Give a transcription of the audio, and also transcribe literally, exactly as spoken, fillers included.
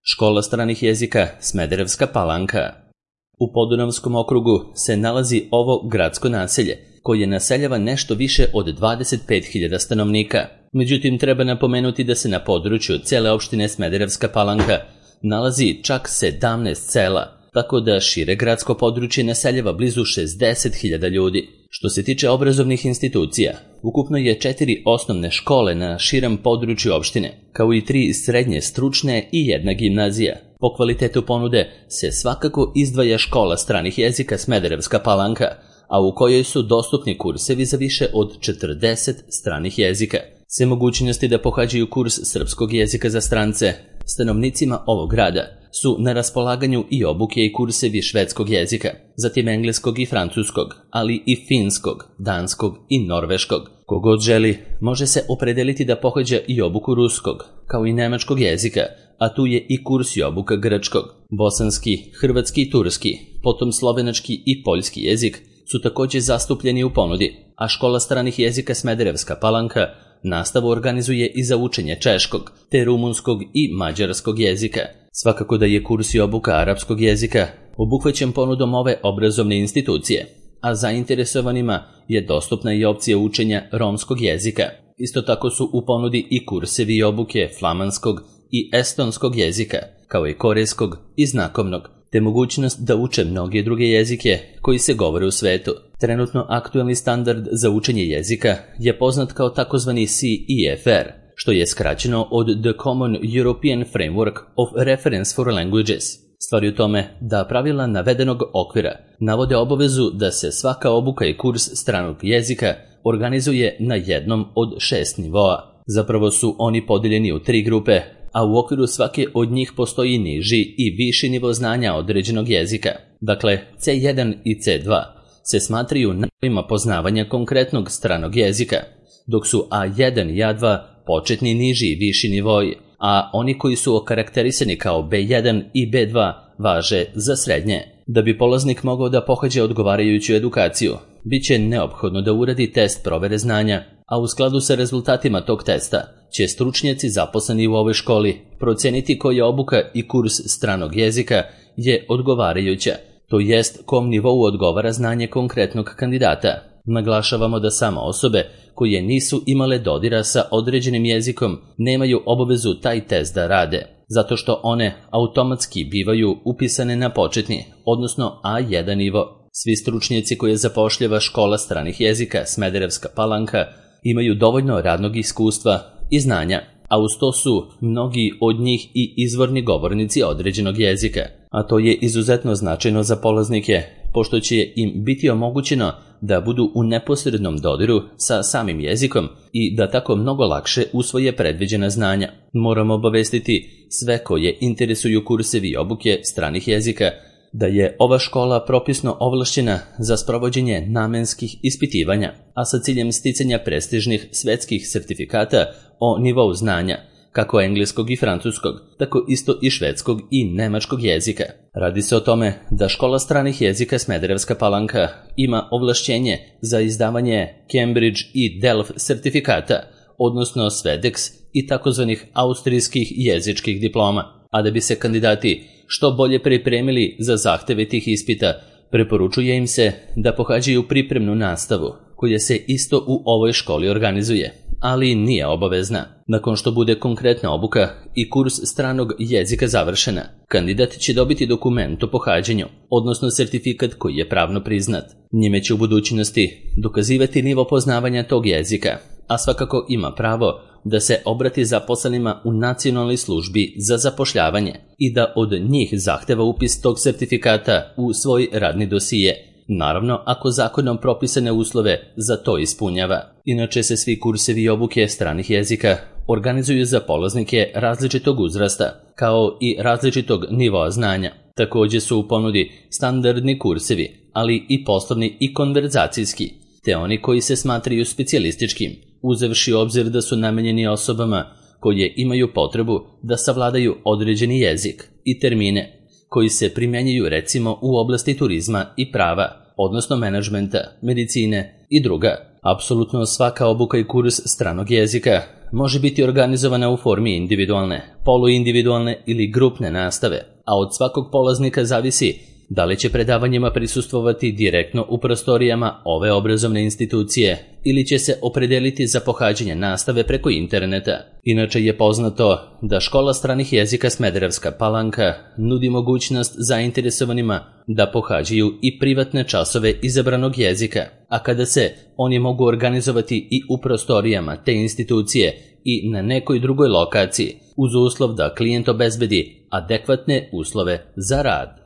Škola stranih jezika Smederevska Palanka. U Podunavskom okrugu se nalazi ovo gradsko naselje, koje naseljava nešto više od dvadeset pet hiljada stanovnika. Međutim, treba napomenuti da se na području cele opštine Smederevska Palanka nalazi čak sedamnaest sela, tako da šire gradsko područje naseljava blizu šezdeset hiljada ljudi. Što se tiče obrazovnih institucija, ukupno je četiri osnovne škole na širem području opštine, kao i tri srednje stručne i jedna gimnazija. Po kvalitetu ponude se svakako izdvaja škola stranih jezika Smederevska Palanka, a u kojoj su dostupni kursevi za više od četrdeset stranih jezika. Sve mogućnosti da pohađaju kurs srpskog jezika za strance stanovnicima ovog grada su na raspolaganju i obuke i kursevi švedskog jezika, zatim engleskog i francuskog, ali i finskog, danskog i norveškog. Kogod želi, može se opredeliti da pohađa i obuku ruskog, kao i nemačkog jezika, a tu je i kurs i obuka grčkog. Bosanski, hrvatski i turski, potom slovenački i poljski jezik su također zastupljeni u ponudi, a škola stranih jezika Smederevska Palanka nastavu organizuje i za učenje češkog, te rumunskog i mađarskog jezika. Svakako da je kurs i obuka arapskog jezika obuhvaćen ponudom ove obrazovne institucije, a zainteresovanima je dostupna i opcija učenja romskog jezika. Isto tako su u ponudi i kursevi i obuke flamanskog i estonskog jezika, kao i korejskog i znakovnog, te mogućnost da uče mnoge druge jezike koji se govore u svetu. Trenutno aktuelni standard za učenje jezika je poznat kao takozvani C E F R, što je skraćeno od The Common European Framework of Reference for Languages. Stvar je u tome da pravila navedenog okvira navode obavezu da se svaka obuka i kurs stranog jezika organizuje na jednom od šest nivoa. Zapravo su oni podeljeni u tri grupe, a u okviru svake od njih postoji niži i viši nivo znanja određenog jezika. Dakle, C jedan i C dva se smatraju nivoima poznavanja konkretnog stranog jezika, dok su A jedan i A dva početni niži i viši nivoi, a oni koji su okarakterisani kao B jedan i B dva važe za srednje. Da bi polaznik mogao da pohađa odgovarajuću edukaciju, bit će neophodno da uradi test provere znanja, a u skladu sa rezultatima tog testa će stručnjaci zaposleni u ovoj školi proceniti koja obuka i kurs stranog jezika je odgovarajuća, to jest kom nivou odgovara znanje konkretnog kandidata. Naglašavamo da samo osobe koje nisu imale dodira sa određenim jezikom nemaju obavezu taj test da rade, zato što one automatski bivaju upisane na početni, odnosno A jedan nivo. Svi stručnjaci koje zapošljava škola stranih jezika Smederevska Palanka imaju dovoljno radnog iskustva i znanja, a uz to su mnogi od njih i izvorni govornici određenog jezika, a to je izuzetno značajno za polaznike, pošto će im biti omogućeno da budu u neposrednom dodiru sa samim jezikom i da tako mnogo lakše usvoje predviđena znanja. Moramo obavestiti sve koje interesuju kursevi i obuke stranih jezika da je ova škola propisno ovlašćena za sprovođenje namenskih ispitivanja, a sa ciljem sticanja prestižnih svetskih sertifikata o nivou znanja, kako engleskog i francuskog, tako isto i švedskog i nemačkog jezika. Radi se o tome da škola stranih jezika Smederevska Palanka ima ovlašćenje za izdavanje Cambridge i Delft sertifikata, odnosno Svedex i takozvanih austrijskih jezičkih diploma, a da bi se kandidati što bolje pripremili za zahteve tih ispita, preporučuje im se da pohađaju pripremnu nastavu, koja se isto u ovoj školi organizuje, ali nije obavezna. Nakon što bude konkretna obuka i kurs stranog jezika završena, kandidat će dobiti dokument o pohađanju, odnosno sertifikat koji je pravno priznat. Njime će u budućnosti dokazivati nivo poznavanja tog jezika, a svakako ima pravo da se obrati zaposlenima u nacionalnoj službi za zapošljavanje i da od njih zahteva upis tog sertifikata u svoj radni dosije, naravno ako zakonom propisane uslove za to ispunjava. Inače se svi kursevi i obuke stranih jezika organizuju za polaznike različitog uzrasta, kao i različitog nivoa znanja. Također su u ponudi standardni kursevi, ali i poslovni i konverzacijski, te oni koji se smatraju specijalističkim, uzevši u obzir da su namenjeni osobama koje imaju potrebu da savladaju određeni jezik i termine koji se primjenjuju recimo u oblasti turizma i prava, odnosno menadžmenta, medicine i druga. Apsolutno svaka obuka i kurs stranog jezika može biti organizovana u formi individualne, poluindividualne ili grupne nastave, a od svakog polaznika zavisi da li će predavanjima prisustvovati direktno u prostorijama ove obrazovne institucije ili će se opredeliti za pohađanje nastave preko interneta. Inače je poznato da Škola stranih jezika Smederevska Palanka nudi mogućnost zainteresovanima da pohađaju i privatne časove izabranog jezika, a kada se oni mogu organizovati i u prostorijama te institucije i na nekoj drugoj lokaciji, uz uslov da klijent obezbedi adekvatne uslove za rad.